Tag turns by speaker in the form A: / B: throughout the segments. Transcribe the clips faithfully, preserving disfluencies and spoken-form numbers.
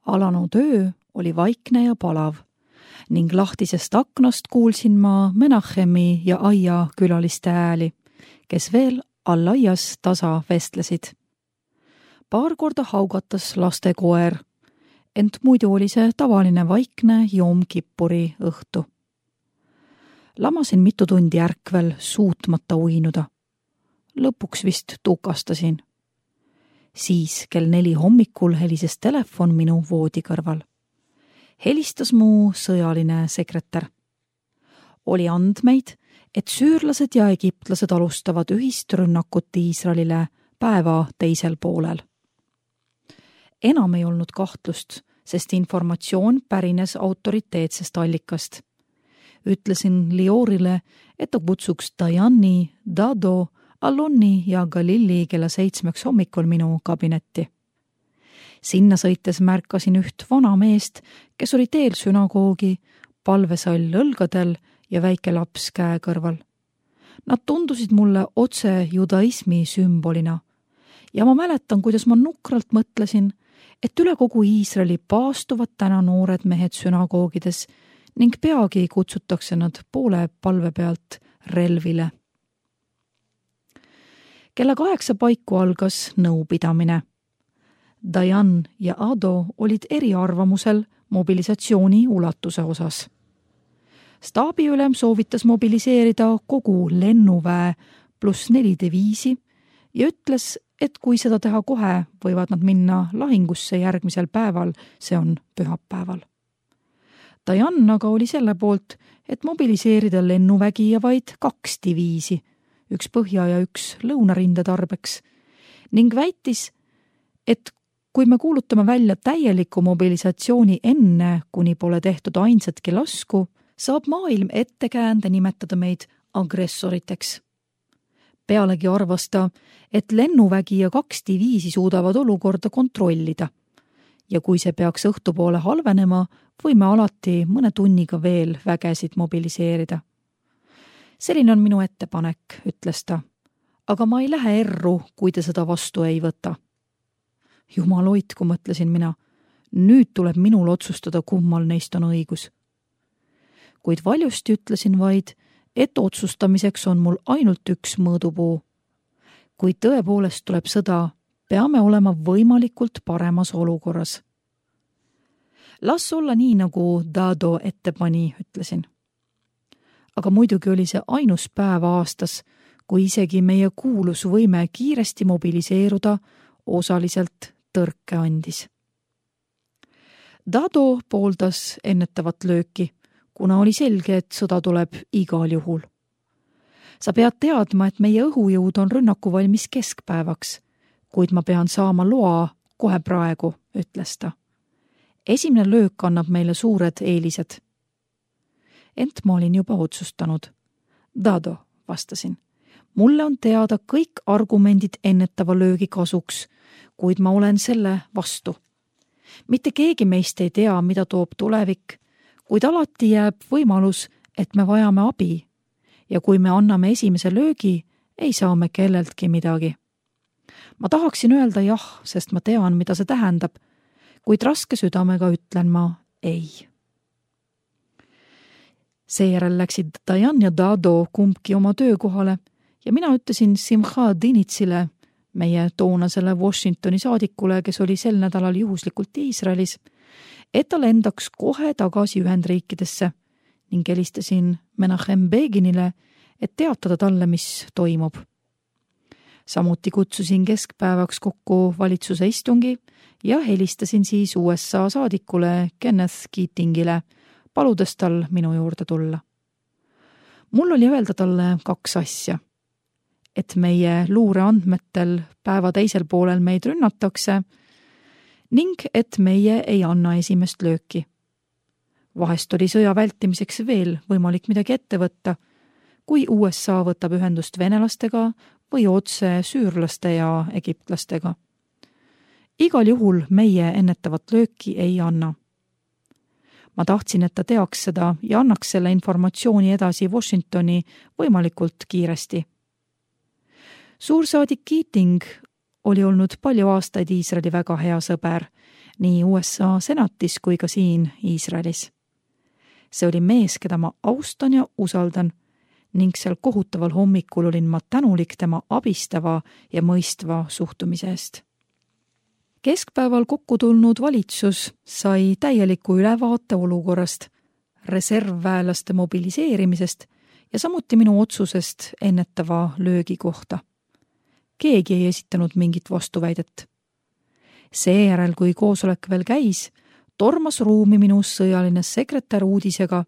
A: Alanud öö oli vaikne ja palav ning lahtisest aknast kuulsin ma Menachemi ja aia külaliste ääli, kes veel all aias tasa vestlesid. Paar korda haugatas lastekoer, ent muidu oli see tavaline vaikne Joom Kippuri õhtu. Lamasin mitu tundi ärkvel suutmata uinuda. Lõpuks vist tukastasin. Siis kell neli hommikul helises telefon minu voodi kõrval. Helistas mu sõjaline sekretär. Oli andmeid, et süürlased ja egiptlased alustavad ühist rünnakut Iisraelile päeva teisel poolel. Enam ei olnud kahtlust, sest informatsioon pärines autoriteetsest allikast. Ütlesin Liorile, et ta kutsuks Dajani, Dado, Alonni ja Galilli kella seitsmeks hommikul minu kabinetti. Sinna sõites märkasin üht vana meest, kes oli teel sünagoogi, palvesall õlgadel ja väike laps käe kõrval. Nad tundusid mulle otse judaismi sümbolina ja ma mäletan, kuidas ma nukralt mõtlesin, et üle kogu Iisraeli paastuvad täna noored mehed sünagoogides ning peagi kutsutakse nad poole palve pealt relvile. Kella kaheksa paiku algas nõupidamine. Dajan ja Ado olid eriarvamusel mobilisatsiooni ulatuse osas. Staabiülem soovitas mobiliseerida kogu lennuväe pluss neli diviisi ja ütles, et kui seda teha kohe, võivad nad minna lahingusse järgmisel päeval, see on pühapäeval. Dajan aga oli selle poolt, et mobiliseerida lennuvägi ja vaid kaks diviisi, üks põhja ja üks lõunarinde tarbeks, ning väitis, et kui me kuulutame välja täieliku mobilisatsiooni enne, kuni pole tehtud ainsatki lasku, saab maailm ettekäände nimetada meid agressoriteks. Pealegi arvas ta, et lennuvägi ja kaks diviisi suudavad olukorda kontrollida. Ja kui see peaks õhtupoole halvenema, võime alati mõne tunniga veel vägesid mobiliseerida. Selline on minu ettepanek, ütles ta, aga ma ei lähe erru, kui te seda vastu ei võta. Jumal hoidku, mõtlesin mina, nüüd tuleb minul otsustada, kummal neist on õigus. Kuid valjusti ütlesin vaid, et otsustamiseks on mul ainult üks mõõdupuu. Kui tõepoolest tuleb sõda, peame olema võimalikult paremas olukorras. Las olla nii, nagu Dado ette pani, ütlesin. Aga muidugi oli see ainus päev aastas, kui isegi meie kuulusvõime kiiresti mobiliseeruda osaliselt tõrke andis. Dado pooldas ennetavat lööki, kuna oli selge, et sõda tuleb igal juhul. Sa pead teadma, et meie õhujõud on rünnaku valmis keskpäevaks, kuid ma pean saama loa kohe praegu, ütles ta. Esimene löök annab meile suured eelised. Ent ma olin juba otsustanud. Dado, vastasin. Mulle on teada kõik argumendid ennetava löögi kasuks, kuid ma olen selle vastu. Mitte keegi meist ei tea, mida toob tulevik, kuid alati jääb võimalus, et me vajame abi. Ja kui me anname esimese löögi, ei saa me kelleltki midagi. Ma tahaksin öelda jah, sest ma tean, mida see tähendab, kuid raske südamega ütlen ma ei. Seejärel läksid Dajan ja Dado kumbki oma töökohale ja mina ütlesin Simcha Dinitsile, meie toonasele Washingtoni saadikule, kes oli sel nädalal juhuslikult Iisraelis, et ta lendaks kohe tagasi Ühendriikidesse ning helistasin Menachem Beginile, et teatada talle, mis toimub. Samuti kutsusin keskpäevaks kokku valitsuse istungi ja helistasin siis U S A saadikule Kenneth Keatingile, paludes tal minu juurde tulla. Mul oli öelda talle kaks asja. Et meie luureandmetel päeva teisel poolel meid rünnatakse ning et meie ei anna esimest lööki. Vahest oli sõja vältimiseks veel võimalik midagi ette võtta, kui U S A võtab ühendust venelastega või otse süürlaste ja egiptlastega. Igal juhul meie ennetavat lööki ei anna. Ma tahtsin, et ta teaks seda ja annaks selle informatsiooni edasi Washingtoni võimalikult kiiresti. Suursaadik Keating oli olnud palju aastaid Iisraeli väga hea sõber nii U S A senatis kui ka siin Iisraelis. See oli mees, keda ma austan ja usaldan ning seal kohutaval hommikul olin ma tänulik tema abistava ja mõistva suhtumise eest. Keskpäeval kokku tulnud valitsus sai täieliku ülevaate olukorrast, reservväelaste mobiliseerimisest ja samuti minu otsusest ennetava löögi kohta. Keegi ei esitanud mingit vastuväidet. Seejärel, kui koosolek veel käis, tormas ruumi minu sõjaline sekretär uudisega,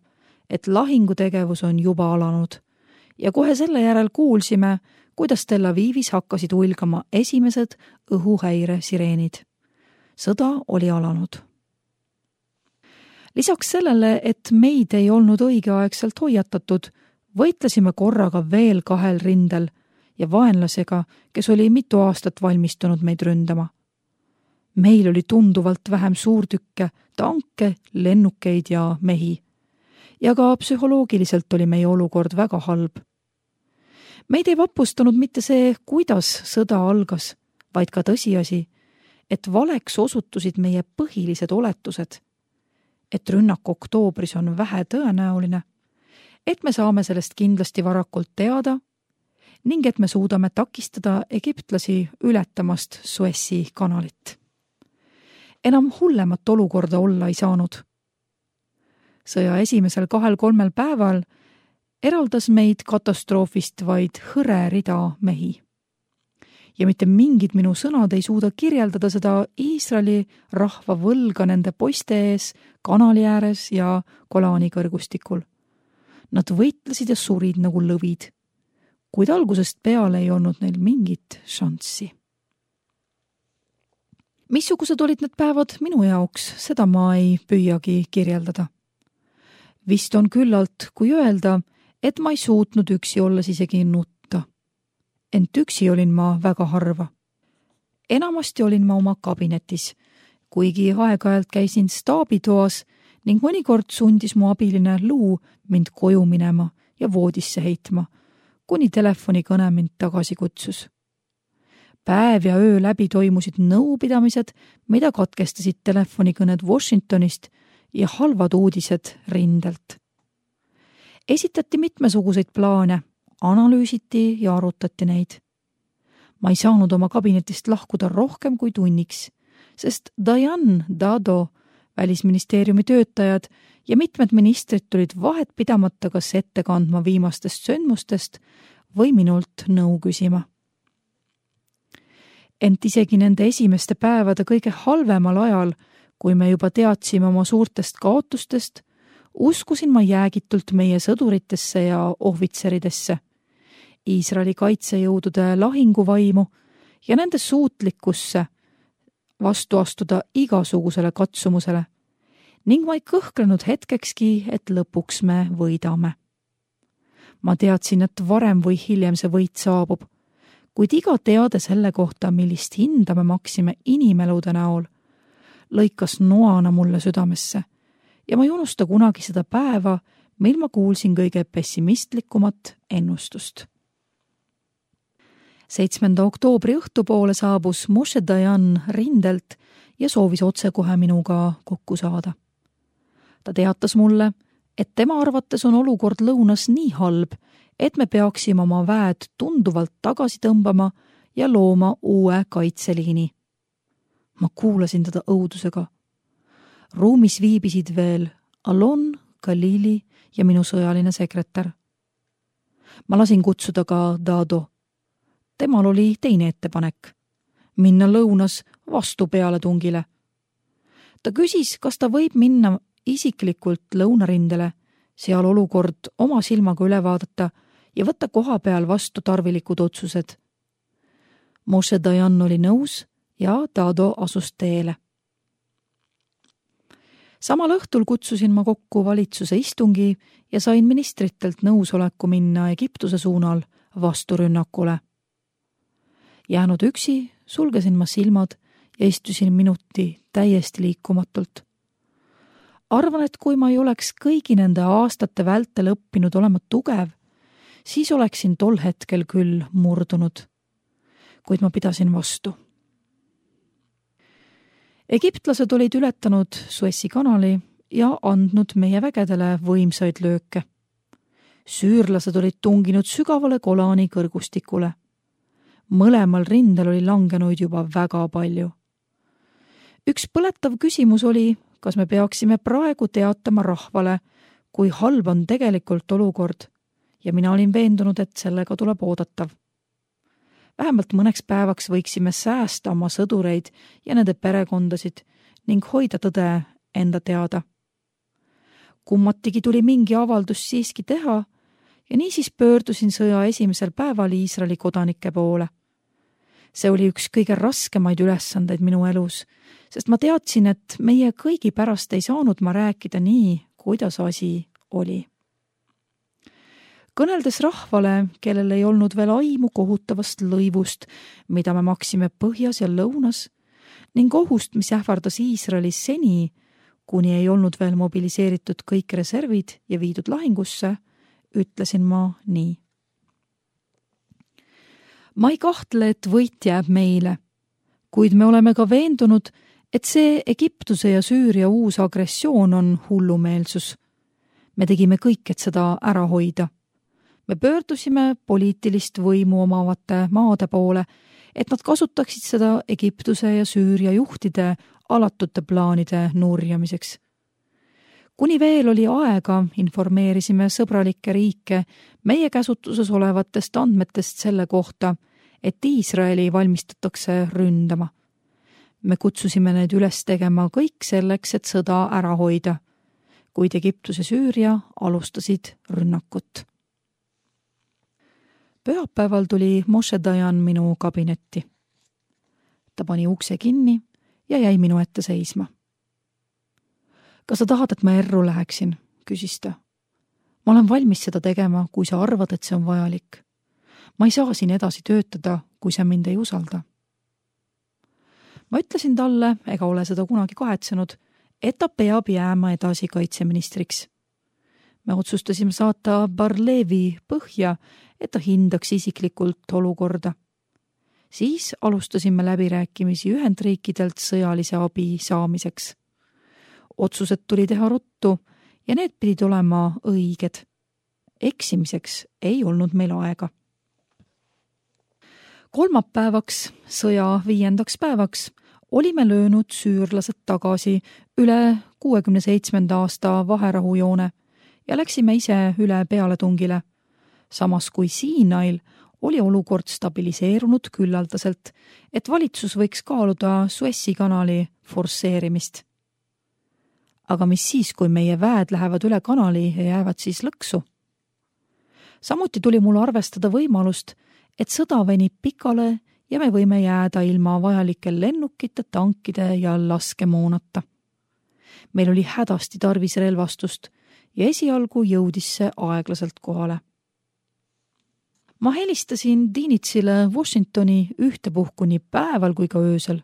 A: et lahingutegevus on juba alanud ja kohe selle järel kuulsime, kuidas Tel Avivis hakkasid ulgama esimesed õhuhäire sireenid. Sõda oli alanud. Lisaks sellele, et meid ei olnud õigeaegselt hoiatatud, võitlesime korraga veel kahel rindel ja vaenlasega, kes oli mitu aastat valmistunud meid ründama. Meil oli tunduvalt vähem suurtükke, tanke, lennukeid ja mehi. Ja ka psühholoogiliselt oli meie olukord väga halb. Meid ei vapustanud mitte see, kuidas sõda algas, vaid ka tõsiasi, et valeks osutusid meie põhilised oletused, et rünnak oktoobris on vähe tõenäoline, et me saame sellest kindlasti varakult teada ning et me suudame takistada egiptlasi ületamast Suessi kanalit. Enam hullemat olukorda olla ei saanud. Sõja esimesel kahel-kolmel päeval eraldas meid katastroofist vaid hõre rida mehi. Ja mitte mingid minu sõnad ei suuda kirjeldada seda Iisraeli rahva võlga nende poiste ees, kanali ääres ja Golani kõrgustikul. Nad võitlesid ja surid nagu lõvid, kuid algusest peale ei olnud neil mingit šanssi. Missugused olid need päevad minu jaoks, seda ma ei püüagi kirjeldada. Vist on küllalt, kui öelda, et ma ei suutnud üksi olles isegi nutta. Ent üksi olin ma väga harva. Enamasti olin ma oma kabinetis, kuigi aeg-ajalt käisin staabitoas ning mõnikord sundis mu abiline Luu mind koju minema ja voodisse heitma, kuni telefonikõne mind tagasi kutsus. Päev ja öö läbi toimusid nõupidamised, mida katkestasid telefonikõned Washingtonist ja halvad uudised rindelt. Esitati mitmesuguseid plaane, analüüsiti ja arutati neid. Ma ei saanud oma kabinetist lahkuda rohkem kui tunniks, sest Dayan, Dado, välisministeeriumi töötajad ja mitmed ministrid tulid vahet pidamata kas ette kandma viimastest sündmustest või minult nõu küsima. Ent isegi nende esimeste päevade kõige halvemal ajal, kui me juba teadsime oma suurtest kaotustest, uskusin ma jäägitult meie sõduritesse ja ohvitseridesse, Iisraeli kaitsejõudude lahinguvaimu ja nende suutlikkusse vastu astuda igasugusele katsumusele ning ma ei kõhklenud hetkekski, et lõpuks me võidame. Ma teadsin, et varem või hiljem see võit saabub, kuid iga teade selle kohta, millist hinda me maksime inimelude näol, lõikas noana mulle südamesse ja ma ei unusta kunagi seda päeva, mil ma kuulsin kõige pessimistlikumat ennustust. seitsmenda oktoobri õhtupoole saabus Moshe Dayan rindelt ja soovis otsekohe minuga kokku saada. Ta teatas mulle, et tema arvates on olukord lõunas nii halb, et me peaksime oma väed tunduvalt tagasi tõmbama ja looma uue kaitseliini. Ma kuulasin teda õudusega. Ruumis viibisid veel Alon, Galili ja minu sõjaline sekretär. Ma lasin kutsuda ka Dado. Temal oli teine ettepanek, minna lõunas vastu pealetungile. Ta küsis, kas ta võib minna isiklikult lõunarindele, seal olukord oma silmaga üle vaadata ja võtta koha peal vastu tarvilikud otsused. Moshe Dayan oli nõus ja Dado asus teele. Samal õhtul kutsusin ma kokku valitsuse istungi ja sain ministritelt nõusoleku minna Egiptuse suunal vasturünnakule. Jäänud üksi, sulgesin ma silmad ja istusin minuti täiesti liikumatult. Arvan, et kui ma ei oleks kõigi nende aastate vältel õppinud olema tugev, siis oleksin tol hetkel küll murdunud. Kuid ma pidasin vastu. Egiptlased olid ületanud Suessi kanali ja andnud meie vägedele võimsaid lööke. Süürlased olid tunginud sügavale Golani kõrgustikule. Mõlemal rindel oli langenuid juba väga palju. Üks põletav küsimus oli, kas me peaksime praegu teatama rahvale, kui halb on tegelikult olukord, ja mina olin veendunud, et sellega tuleb oodatav. Vähemalt mõneks päevaks võiksime säästa oma sõdureid ja nende perekondasid ning hoida tõde enda teada. Kummatigi tuli mingi avaldus siiski teha ja niisiis pöördusin sõja esimesel päeval Iisraeli kodanike poole. See oli üks kõige raskemaid ülesandeid minu elus, sest ma teadsin, et meie kõigi pärast ei saanud ma rääkida nii, kuidas asi oli. Kõneldes rahvale, kellel ei olnud veel aimu kohutavast lõivust, mida me maksime põhjas ja lõunas, ning ohust, mis ähvardas Iisraelis seni, kuni ei olnud veel mobiliseeritud kõik reservid ja viidud lahingusse, ütlesin ma nii. Ma ei kahtle, et võit jääb meile, kuid me oleme ka veendunud, et see Egiptuse ja Süüria uus agressioon on hullumeelsus. Me tegime kõik, et seda ära hoida. Me pöördusime poliitilist võimu omavate maade poole, et nad kasutaksid seda Egiptuse ja Süüria juhtide alatute plaanide nurjamiseks. Kuni veel oli aega, informeerisime sõbralikke riike meie käsutuses olevatest andmetest selle kohta, et Iisraeli valmistatakse ründama. Me kutsusime need üles tegema kõik selleks, et sõda ära hoida, kuid Egiptus ja Süüria alustasid rünnakut. Pühapäeval tuli Moshe Dayan minu kabinetti. Ta pani ukse kinni ja jäi minu ette seisma. Kas sa tahad, et ma erru läheksin, küsis ta. Ma olen valmis seda tegema, kui sa arvad, et see on vajalik. Ma ei saa siin edasi töötada, kui sa mind ei usalda. Ma ütlesin talle, ega ole seda kunagi kahetsenud, et ta peab jääma edasi kaitseministriks. Me otsustasime saata Barlevi põhja, et ta hindaks isiklikult olukorda. Siis alustasime läbirääkimisi Ühendriikidelt sõjalise abi saamiseks. Otsused tuli teha ruttu ja need pidid olema õiged. Eksimiseks ei olnud meil aega. Kolmapäevaks, sõja viiendaks päevaks, olime löönud süürlased tagasi üle kuuekümne seitsmenda aasta vaherahujoone ja läksime ise üle pealetungile. Samas kui Siinail oli olukord stabiliseerunud küllaldaselt, et valitsus võiks kaaluda Suessi kanali forsseerimist. Aga mis siis, kui meie väed lähevad üle kanali ja jäävad siis lõksu? Samuti tuli mul arvestada võimalust, et sõda venib pikale ja me võime jääda ilma vajalike lennukite, tankide ja laskemoonata. Meil oli hädasti tarvis relvastust ja esialgu jõudis see aeglaselt kohale. Ma helistasin Dinitsile Washingtoni ühtepuhku nii päeval kui ka öösel.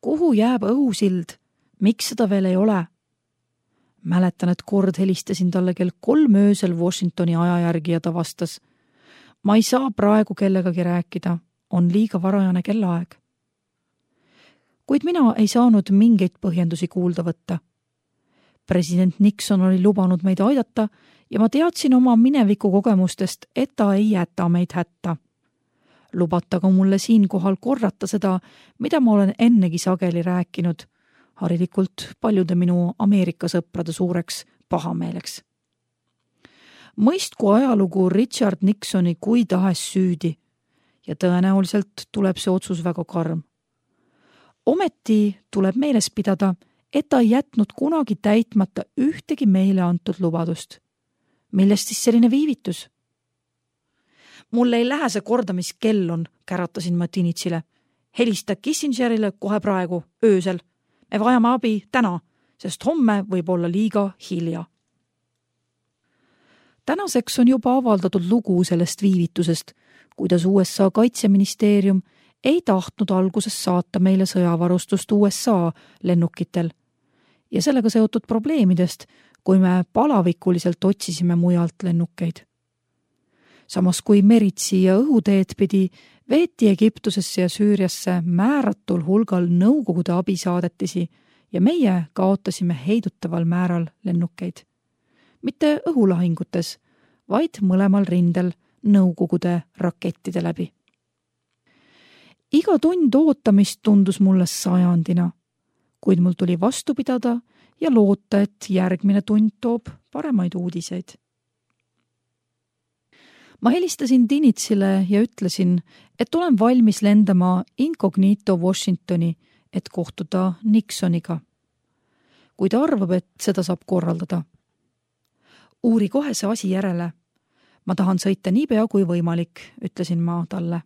A: Kuhu jääb õhusild? Miks seda veel ei ole? Mäletan, et kord helistasin talle kell kolm öösel Washingtoni aja järgi ja ta vastas. Ma ei saa praegu kellegagi rääkida, on liiga varajane kellaaeg. Kuid mina ei saanud mingeid põhjendusi kuulda võtta. President Nixon oli lubanud meid aidata ja ma teadsin oma mineviku kogemustest, et ta ei jäta meid hätta. Lubataga mulle siinkohal korrata seda, mida ma olen ennegi sageli rääkinud, harilikult paljude minu Ameerika sõprade suureks pahameeleks. Mõistku ajalugu Richard Nixoni kui tahes süüdi ja tõenäoliselt tuleb see otsus väga karm. Ometi tuleb meeles pidada, et ta ei jätnud kunagi täitmata ühtegi meile antud lubadust. Millest siis selline viivitus? Mulle ei lähe see korda, mis kell on, käratasin ma Dinitsile. Helista Kissingerile kohe praegu, öösel. Me vajame abi täna, sest homme võib olla liiga hilja. Tänaseks on juba avaldatud lugu sellest viivitusest, kuidas U S A kaitseministeerium ei tahtnud alguses saata meile sõjavarustust U S A lennukitel ja sellega seotud probleemidest, kui me palavikuliselt otsisime mujalt lennukeid. Samas kui meritsi ja õhuteed pidi Veeti Egiptusesse ja Süüriasse määratul hulgal Nõukogude abisaadetisi ja meie kaotasime heidutaval määral lennukeid. Mitte õhulahingutes, vaid mõlemal rindel Nõukogude rakettide läbi. Iga tund ootamist tundus mulle sajandina, kuid mul tuli vastu pidada ja loota, et järgmine tund toob paremaid uudiseid. Ma helistasin Dinitsile ja ütlesin, et olen valmis lendama incognito Washingtoni, et kohtuda Nixoniga. Kui ta arvab, et seda saab korraldada. Uuri kohe see asi järele. Ma tahan sõita nii pea kui võimalik, ütlesin ma talle.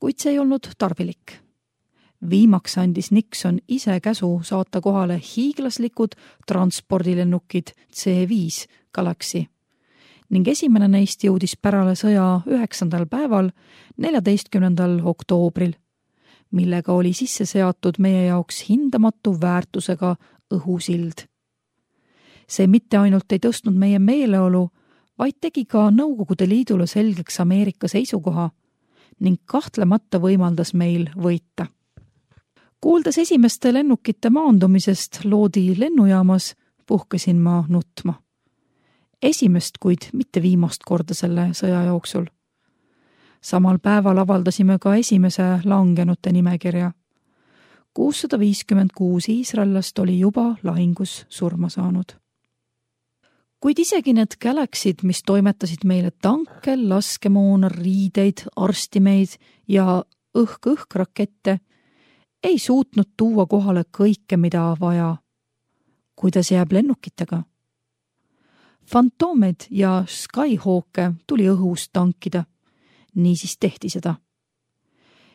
A: Kuid see ei olnud tarvilik. Viimaks andis Nixon ise käsu saata kohale hiiglaslikud transpordilennukid C viis Galaxy ning esimene neist jõudis pärale sõja üheksandal päeval, neljateistkümnendal oktoobril, millega oli sisse seatud meie jaoks hindamatu väärtusega õhusild. See mitte ainult ei tõstnud meie meeleolu, vaid tegi ka Nõukogude Liidule selgeks Ameerika seisukoha ning kahtlemata võimaldas meil võita. Kuuldes esimeste lennukite maandumisest Loodi lennujaamas, puhkesin ma nutma. Esimest, kuid mitte viimast korda selle sõja jooksul. Samal päeval avaldasime ka esimese langenute nimekirja. kuussada viiskümmend kuus iisraellast oli juba lahingus surma saanud. Kuid isegi need Galaxy'd, mis toimetasid meile tanke, laskemoona, riideid, arstimeid ja õhk-õhk-rakette, ei suutnud tuua kohale kõike, mida vaja. Kuidas jääb lennukitega? Fantomed ja Skyhawke tuli õhus tankida. Niisiis tehti seda.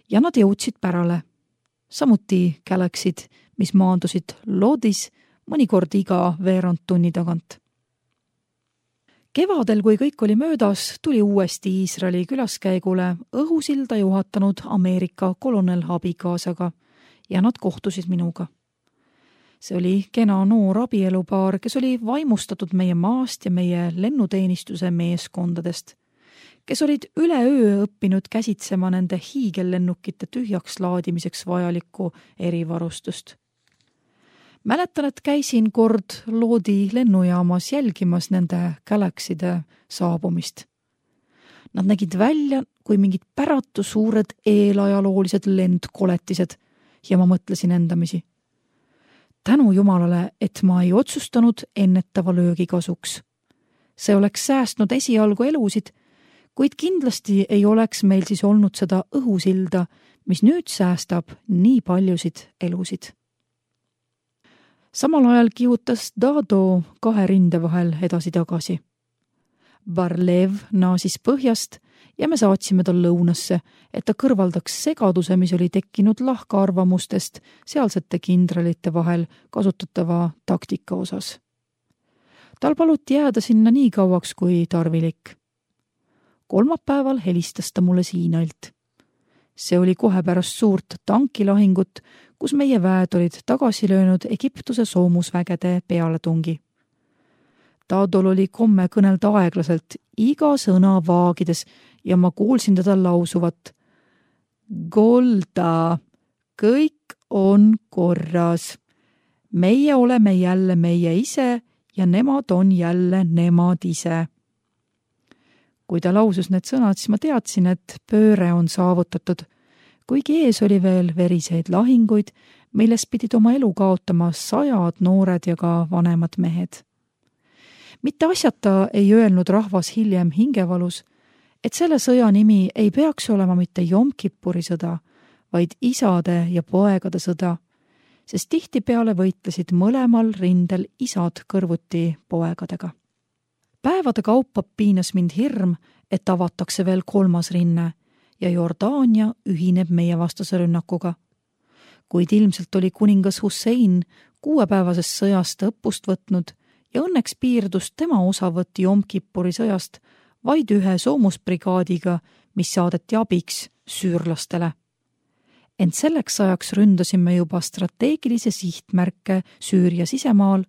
A: Ja nad jõudsid pärale. Samuti Galaxy'd, mis maandusid Loodis mõnikord iga veerand tunni tagant. Kevadel, kui kõik oli möödas, tuli uuesti Iisraeli külaskäigule õhusilda juhatanud Ameerika kolonel abikaasaga ja nad kohtusid minuga. See oli kena noor abielupaar, kes oli vaimustatud meie maast ja meie lennuteenistuse meeskondadest, kes olid üleöö õppinud käsitsema nende hiigellennukite tühjaks laadimiseks vajalikku erivarustust. Mäletan, et käisin kord Loodi lennujaamas jälgimas nende Galaxy'de saabumist. Nad nägid välja kui mingid päratu suured eelajaloolised lendkoletised ja ma mõtlesin endamisi. Tänu Jumalale, et ma ei otsustanud ennetava löögi kasuks. See oleks säästnud esialgu elusid, kuid kindlasti ei oleks meil siis olnud seda õhusilda, mis nüüd säästab nii paljusid elusid. Samal ajal kihutas Dado kahe rinde vahel edasi-tagasi. Barlev naasis põhjast ja me saatsime tal lõunasse, et ta kõrvaldaks segaduse, mis oli tekkinud lahkaarvamustest sealsete kindralite vahel kasutatava taktika osas. Tal paluti jääda sinna nii kauaks kui tarvilik. Kolmapäeval helistas ta mulle Siinailt. See oli kohe pärast suurt tankilahingut, kus meie väed olid tagasi löönud Egiptuse soomusvägede pealetungi. Tadol oli komme kõnelda aeglaselt, iga sõna vaagides ja ma kuulsin teda lausuvat. Golda, kõik on korras. Meie oleme jälle meie ise ja nemad on jälle nemad ise. Kui ta lausus need sõnad, siis ma teadsin, et pööre on saavutatud, kuigi ees oli veel veriseid lahinguid, milles pidid oma elu kaotama sajad noored ja ka vanemad mehed. Mitte asjata ei öelnud rahvas hiljem hingevalus, et selle sõja nimi ei peaks olema mitte Jom Kippuri sõda, vaid isade ja poegade sõda, sest tihtipeale võitlesid mõlemal rindel isad kõrvuti poegadega. Päevade kaupa piinas mind hirm, et avatakse veel kolmas rinne ja Jordaania ühineb meie vastase rünnakuga. Kuid ilmselt oli kuningas Hussein kuuepäevasest sõjast õppust võtnud ja õnneks piirdus tema osavõtt Jom Kippuri sõjast vaid ühe soomusbrigaadiga, mis saadeti abiks süürlastele. Ent selleks ajaks ründasime juba strateegilise sihtmärke Süüria sisemaal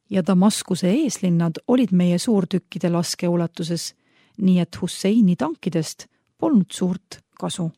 A: ja Damaskuse eeslinnad olid meie suurtükkide laskeulatuses, nii et Husseini tankidest polnud suurt kasu.